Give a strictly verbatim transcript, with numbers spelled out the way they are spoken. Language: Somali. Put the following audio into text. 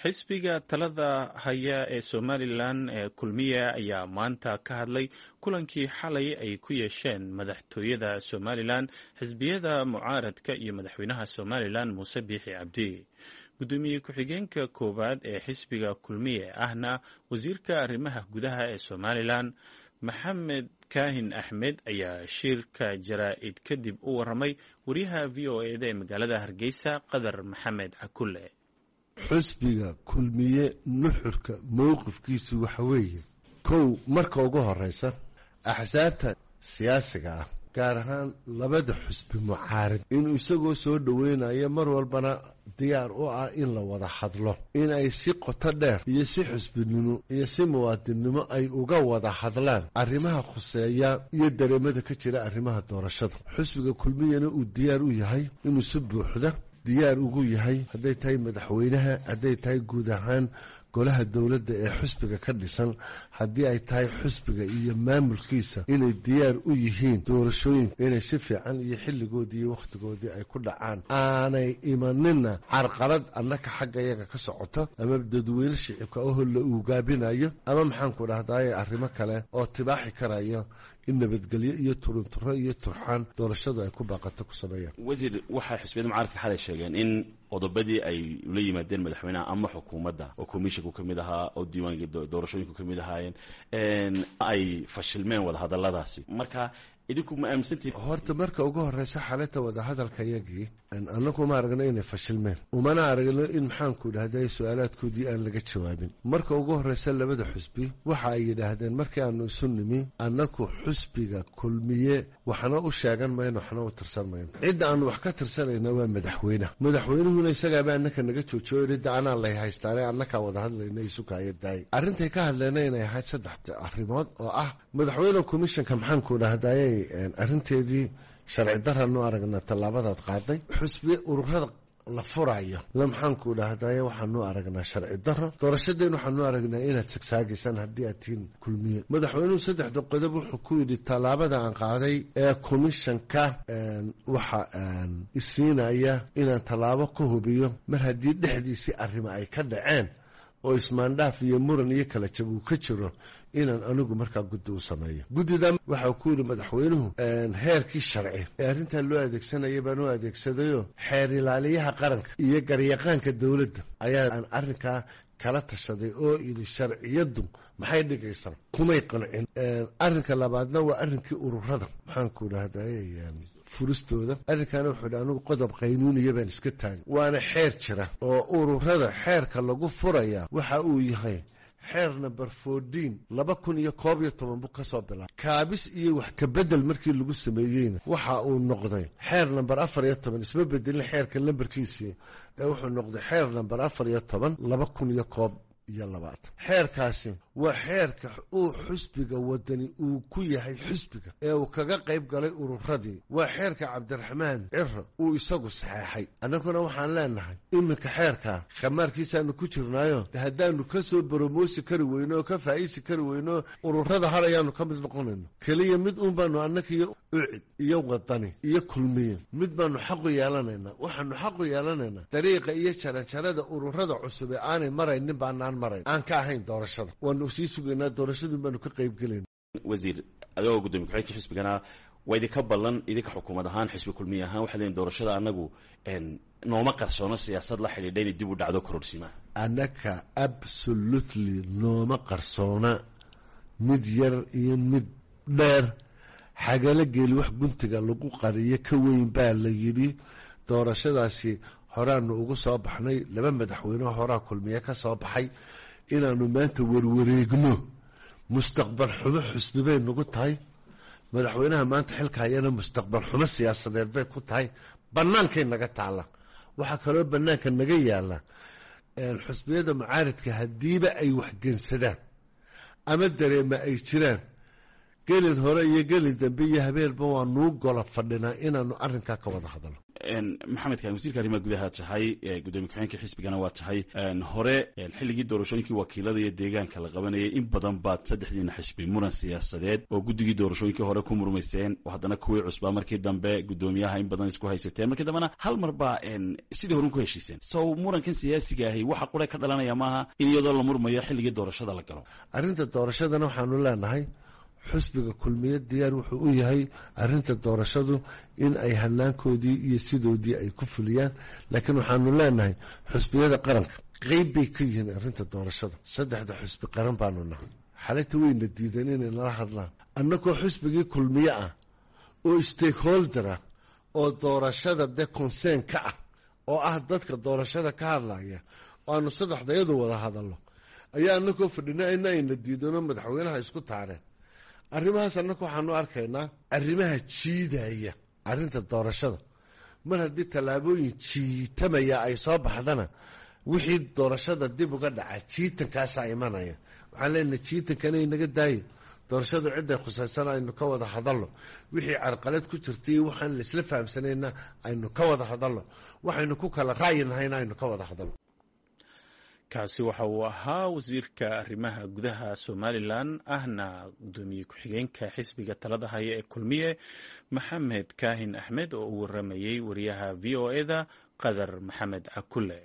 Xisbiga talada haya ee Somalilan ee Kulmiye ayaa maanta ka hadlay kulankii xalay ay ku yeesheen madaxtooyada Somalilan, xisbiyada mucaaradka iyo madaxweynaha Somalilan Muuse Biixi Cabdi. Gudoomiye ku-xigeenka koowaad ee xisbiga Kulmiye ahna wasiirka arrimaha gudaha ee Somalilan Maxamed Kaahin Axmed ayaa shirka jaraa'id kadib u waramay wariyaha V O E da ee magaalada Hargeysa, Qadar Maxamed Cakulle. Xusbiga Kulmiye nuxurka mowqifkiisu waxa weeye: kow, marka ugu horeysa axsaabta siyaasiga ah, gaar ahaan labada xusbi mucaarid, inuu isagoo soo dhoweynayo mar walbana diyaar u ah in la wada hadlo, in ay si qoto dheer iyo si xusbinimo iyo si muwaadinnimo ay uga wada hadlaan arrimaha khuseeya iyo dareemada ka jira arrimaha doorashada. Xusbiga Kulmiyena uu diyaar u yahay inuu si buuxda diyaar ugu yahay, hadday tahay madaxweynaha, hadday tahay guud ahaan golaha dowladda ee xusbiga ka dhisan, haddii ay tahay xusbiga iyo maamulkiisa, inay diyaar u yihiin doorashooyinka inay si fiican iyo xilligoodii iyo wakhtigoodii ay ku dhacaan, aanay imanina carqalad annaka xagga iyaga ka socota ama dadweyne shicibka oho la uugaabinayo ama maxaanku dhahdaye arrimo kale oo tibaaxi karaya in nabadgelyo iyo turunturo iyo turxaan doorashadu ay ku baaqato ku sameeyaan. Wasiir, waxay xisbiyada mucaaradka xalay sheegeen in qodobadii ay ula yimaadeen madaxweynaha ama xukuumadda, oo commissionku ka mid ahaa oo diiwaanka doorashooyinku ka mid ahaayeen, ay fashilmeen wadahadalladaasi. Marka idinku ma aaminsantihin? Horta marka ugu horeysa, xalinta wadahadalkayagii annagu ma aragno inay fashilmeen, umana aragno in maxaanku dhahday su-aalaadkoodii aan laga jawaabin. Marka ugu horeysa, labada xusbi waxa ay yidhaahdeen markii aanu isu nimi: annaku xusbiga Kulmiye waxna u sheegan mayno, waxna u tirsan mayno. Cidda aanu wax ka tirsanayna waa madaxweyneha. Madaxweynuhuna isagaaba annaka naga joojiyo, cidda anaa lay haystaane, annakaa wada hadlayna, isukaaya daay. Arrintay ka hadleyna inay ahayd saddex arrimood oo ah: madaxweyne, commissionka maxaanku dhahdayey arrinteedii sharci daranu aragna tallaabadaad qaaday; xusbi ururada la furayo la maxaanku dhahdaye waxaanu aragnaa sharci daro; doorashadeen waxaanu aragnaa inaad sagsaagaysaan haddii aad tihiin Kulmiye. Madaxweynuhu saddexda qodob wuxuu ku yidhi: tallaabada aan qaaday ee commissionka waxa isiinaya inaan tallaabo ka hubiyo mar haddii dhexdiisii arrimo ay ka dhaceen oo ismaandhaaf iyo muran iyo kala jab uu ka jiro, inaan anigu markaa guddi u sameeyo. Guddida waxau ku yidhi madaxweynuhu heerkii sharci ee arrintaa loo adeegsanaya baan u adeegsadayoo xeer ilaaliyaha qaranka iyo garyaqaanka dowladda ayaa aan arrinkaa kala tashaday oo yidhi sharciyaddu maxay dhigaysaa, kumay qancin. Arrinka labaadna waa arrinkii ururada maxaanku dhahday furistooda. Arrinkaana wuxuu yidhi anigu qodob qaynuuniya baan iska taagay, waana xeer jira oo ururada xeerka lagu furaya waxa uu yahay xeer number fourteen laba kun iyo koob iyo toban buu ka soo bilaabay. Kaabis iyo wax kabedel markii lagu sameeyeyna waxa uu noqday xeer number afar iyo toban. Isma bedelin xeerka lambarkiisii ee wuxuu noqday xeer number afar iyo toban laba kun iyo koob iyo labaatan. Xeerkaasi waa xeerka uu xusbiga Wadani uu ku yahay xusbiga ee uu kaga qayb galay ururadii, waa xeerka Cabdiraxmaan Ciro uu isagu saxeexay. Annaguna waxaan leenahay iminka xeerka khamaarkiisaanu ku jirnaayo, haddaanu ka soo boromoosi kari weyno oo ka faa'iisi kari weyno, ururada har ayaanu ka mid noqonayno. Keliya mid uun baanu annaka iyo UCID iyo Wadani iyo Kulmiye mid baanu xaqu yeelanaynaa. Waxaanu xaqu yeelanaynaa dariiqa iyo jaranjarada ururada cusub ee aanay maraynin baanaan marayn, aan ka ahayn doorashada. Waanu sii sugaynaa, doorashadun baanu ka qaybgelayna. Wasiir, adigoo gudoomiye ku-xigeenka xisbigana, waa idinka ballan idinka xukuumad ahaan, xisbi Kulmiye ahaan, waxay leeyihin doorashada annagu nooma qarsoono siyaasad la xidhiidha inay dib u dhacdo kororsimaha. Annaka absolutely nooma qarsoona mid yar iyo mid dheer. Xagala geeli wax guntiga lagu qariyo ka weyn baa la yidhi. Doorashadaasi horaanu ugu soo baxnay, laba madaxweyne horaa Kulmiye ka soo baxay. Inaanu maanta warwareegno mustaqbal xumo xusbi bay nagu tahay, madaxweynaha maanta xilka hayana mustaqbal xumo siyaasadeed bay ku tahay. Bannaankay naga taalla. Waxaa kaloo bannaanka naga yaalla, xusbiyada mucaaridka haddiiba ay waxgensadaan ama dareema ay jiraan, gelin hore iyo gelin dambe iyo habeenba waa nuu gola fadhinaa inaanu arrinkaa ka wada hadalno. Maxamed Kaan, wasiirka arrimaha gudaha tahay, gudoomiye ku-xigeenka xisbigana waa tahay. Hore xilligii doorashooyinkii wakiilada iyo deegaanka la qabanayay in badan baad saddexdiina xisbi muran siyaasadeed oo guddigii doorashooyinkii hore ku murmayseen, oo haddana kuwii cusbaa markii dambe gudoomiyaha in badan isku haysateen, markii dambena hal mar baa sidii horun ku heshiiseen. So murankan siyaasiga ahi waxa qura ka dhalanaya maaha in iyadoo la murmayo xilligii doorashada la galo. Arrinta doorashadana waxaanu leenahay xusbiga Kulmiye diyaar wuxuu u yahay arrinta doorashadu in ay hanaankoodii iyo sidoodii ay ku fuliyaan, laakiin waxaanu leenahay xusbiyada qaranka qeyb bay ka yihiin arrinta doorashada. Saddexda xusbi qaran baanu nahay. Xalayta weyna diideen inay nala hadlaan annagoo xusbigii Kulmiye ah oo stakeholder ah oo doorashada dee concern ka ah, oo ah dadka doorashada ka hadlaya, oo aanu saddexdayadu wada hadalno ayaa annagoo fadhina ina ayna diidano madaxweynaha isku taareen. Arrimahaas annaka waxaanu arkaynaa arrimaha jiidaya arrinta doorashada. Mar haddii tallaabooyin jiitamaya ay soo baxdana, wixii doorashada dib uga dhaca jiitankaasaa imanaya. Waxaan leenahay jiitankana inaga daayo, doorashadu cidday khusaysan aynu ka wada hadalno, wixii carqalad ku jirtay waxaan laisla fahamsanayna aynu ka wada hadalno, waxaynu ku kala ra'yi nahayna aynu ka wada hadalno. Kaasi waxa uu ahaa wasiirka arrimaha gudaha Somalilan ahna gudoomiye ku-xigeenka xisbiga talada haya ee Kulmiye, Maxamed Kaahin Axmed, oo u waramayey wariyaha V O e da Qadar Maxamed Cakule.